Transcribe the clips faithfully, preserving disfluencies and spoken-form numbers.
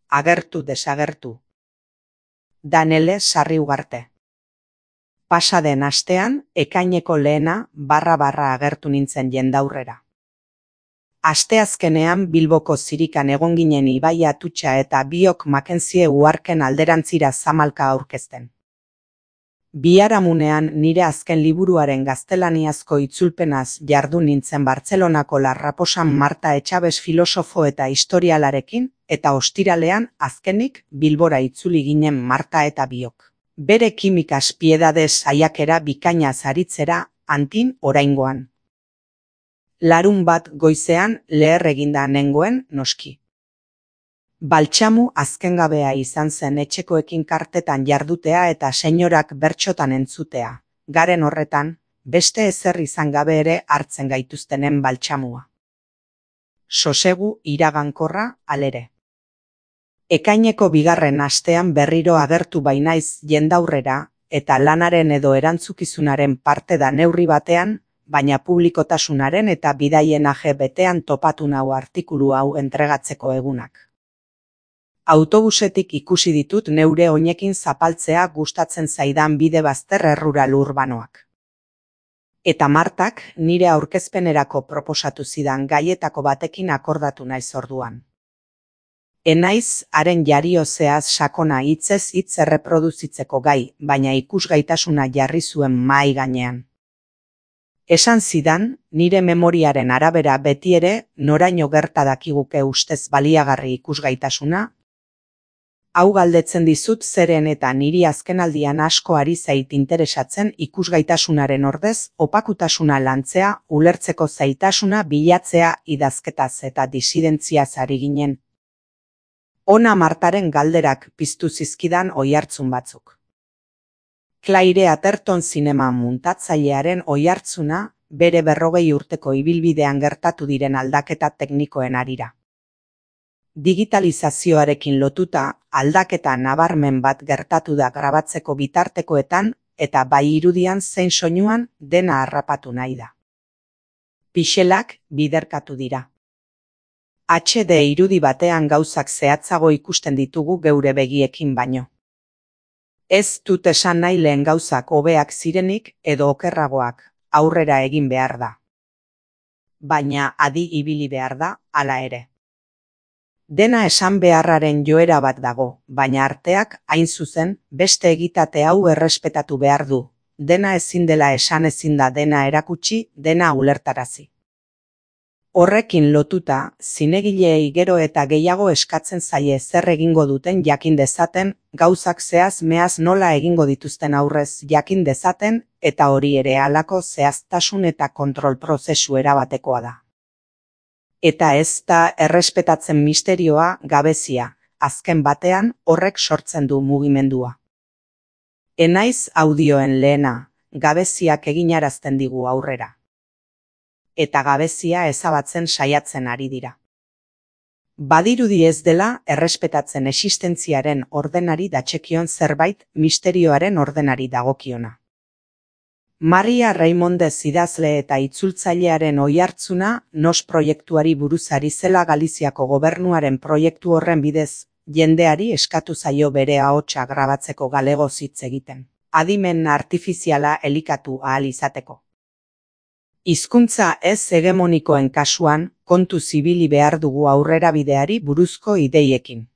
agertu desagertu. Danele Sarri Ugarte. Pasaden astean, ekaineko lehena barra-barra agertu nintzen jendaurrera. Asteazkenean Bilboko zirikan egon ginen Ibai Atutxa eta biok Makenzie uharken alderantzira zamalka aurkezten. Biharamunean nire azken liburuaren gaztelaniazko itzulpenaz jardun nintzen Bartzelonako Larraposan Marta Etxabes filosofo eta historialarekin, eta ostiralean azkenik Bilbora itzuli ginen Marta eta biok. Bere kimikas piedades saiakera bikainaz aritzera, Antin oraingoan. Larun bat goizean leher eginda nengoen noski. Baltxamu azkengabea izan zen etxekoekin kartetan jardutea eta senyorak bertxotan entzutea. Garen horretan, beste ezer izan gabe ere hartzen gaituztenen baltxamua. Sosegu iragankorra alere. Ekaineko bigarren astean berriro agertu bainaiz jendaurrera, eta lanaren edo erantzukizunaren parte da neurri batean, baina publikotasunaren eta bidaien age betean topatu nau artikulu hau entregatzeko egunak. Autobusetik ikusi ditut neure oinekin zapaltzea gustatzen zaidan bide bazter errural urbanoak. Eta Martak nire aurkezpenerako proposatu zidan gaietako batekin akordatu naiz orduan. Enaiz haren jariozeaz sakona hitzez hitz erreproduzitzeko gai, baina ikusgaitasuna jarri zuen mahai gainean. Esan zidan, nire memoriaren arabera beti ere noraino gerta dakiguke ustez baliagarri ikusgaitasuna. Hau galdetzen dizut zeren eta niri azkenaldian asko ari zait interesatzen ikusgaitasunaren ordez opakutasuna lantzea, ulertzeko zaitasuna bilatzea idazketaz eta disidentziaz ari ginen. Ona Martaren galderak piztu zizkidan oihartzun batzuk. Claire Atherton zinema muntatzailearen oihartzuna bere berrogei urteko ibilbidean gertatu diren aldaketa teknikoen harira. Digitalizazioarekin lotuta aldaketa nabarmen bat gertatu da grabatzeko bitartekoetan eta bai irudian zein soinuan dena harrapatu nahi da. Pixelak biderkatu dira. H D irudi batean gauzak zehatzago ikusten ditugu geure begiekin baino. Ez dut esan nahi lehen gauzak hobeak zirenik edo okerragoak, aurrera egin behar da. Baina adi ibili behar da, hala ere. Dena esan beharraren joera bat dago, baina arteak, hain zuzen, beste egitate hau errespetatu behar du. Dena ezin dela esan ezin da dena erakutsi, dena ulertarazi. Horrekin lotuta, zinegileei gero eta gehiago eskatzen zaie zer egingo duten jakin dezaten, gauzak zehaz meaz nola egingo dituzten aurrez jakin dezaten, eta hori ere halako zehaztasun eta kontrol prozesu erabatekoa da. Eta ez da errespetatzen misterioa gabezia, azken batean horrek sortzen du mugimendua. Enaiz audioen lehena, gabeziak eginarazten digu aurrera. Eta gabezia ezabatzen saiatzen ari dira. Badirudi ez dela errespetatzen existentziaren ordenari datzekion zerbait misterioaren ordenari dagokiona. Maria Raimondez idazle eta itzultzailearen oihartzuna Nos proiektuari buruz ari zela Galiziako gobernuaren proiektu horren bidez, jendeari eskatu zaio bere ahotsa grabatzeko galegoz hitz egiten, adimen artifiziala elikatu ahal izateko. Hizkuntza ez hegemonikoen kasuan, kontu zibili behar dugu aurrerabideari buruzko ideiekin.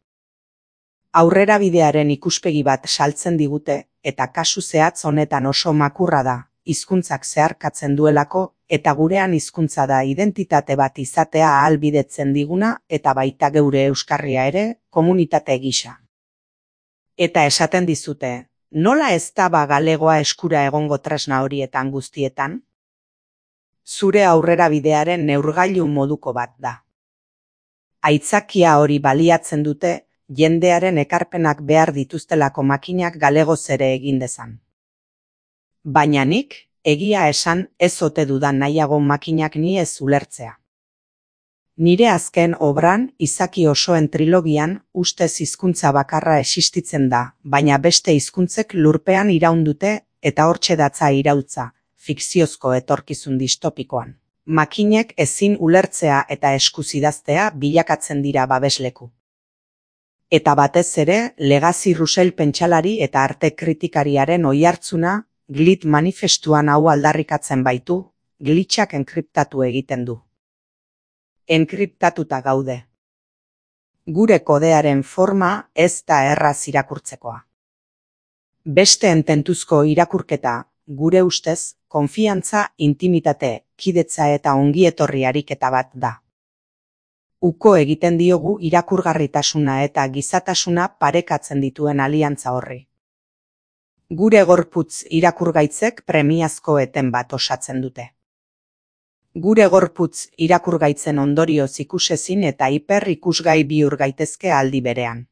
Aurrerabidearen ikuspegi bat saltzen digute, eta kasu zehatz honetan oso makurra da, hizkuntzak zeharkatzen duelako, eta gurean hizkuntza da identitate bat izatea ahalbidetzen diguna, eta baita geure euskarria ere, komunitate gisa. Eta esaten dizute, nola ez da ba galegoa eskura egongo tresna horietan guztietan? Zure aurrerabidearen neurgailu moduko bat da. Aitzakia hori baliatzen dute, jendearen ekarpenak behar dituztelako makinak galegoz ere egin dezan. Baina nik, egia esan ez ote dudan nahiago makinak ni ez ulertzea. Nire azken obran, izaki osoen trilogian, ustez hizkuntza bakarra existitzen da, baina beste hizkuntzek lurpean iraundute eta hortxe datza iraultza, fikziozko etorkizun distopikoan. Makinek ezin ulertzea eta eskuzidaztea bilakatzen dira babesleku. Eta batez ere, Legacy Russell pentsalari eta arte kritikariaren oihartzuna, Glit manifestuan hau aldarrikatzen baitu, glitchak enkriptatu egiten du. Enkriptatuta gaude. Gure kodearen forma ez da erraz irakurtzekoa. Besteen tentuzko irakurketa, gure ustez, konfiantza, intimitate, kidetza eta ongietorri ariketa bat da. Uko egiten diogu irakurgarritasuna eta gizatasuna parekatzen dituen aliantza horri. Gure gorputz irakurgaitzek premiazko eten bat osatzen dute. Gure gorputz irakurgaitzen ondorioz ikusezin eta hiper ikusgai bihur gaitezke aldi berean.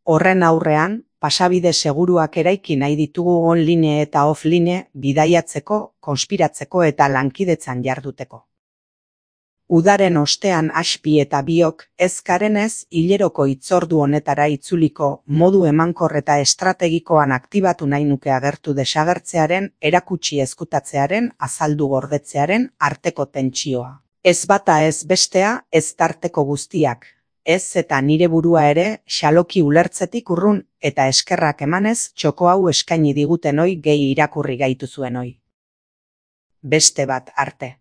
Horren aurrean, pasabide seguruak eraiki nahi ditugu online eta offline bidaiatzeko, konspiratzeko eta lankidetzan jarduteko. Udaren ostean aspi eta biok ez garenez hileroko hitzordu honetara itzuliko modu emankor eta estrategikoan aktibatu nahi nuke agertu desagertzearen, erakutsi ezkutatzearen, azaldu gordetzearen arteko tentsioa. Ez bata ez bestea, ez tarteko guztiak, ez eta nire burua ere xaloki ulertzetik urrun eta eskerrak emanez txoko hau eskaini diguten hoi gehi irakurri gaitu zuen hoi. Beste bat arte.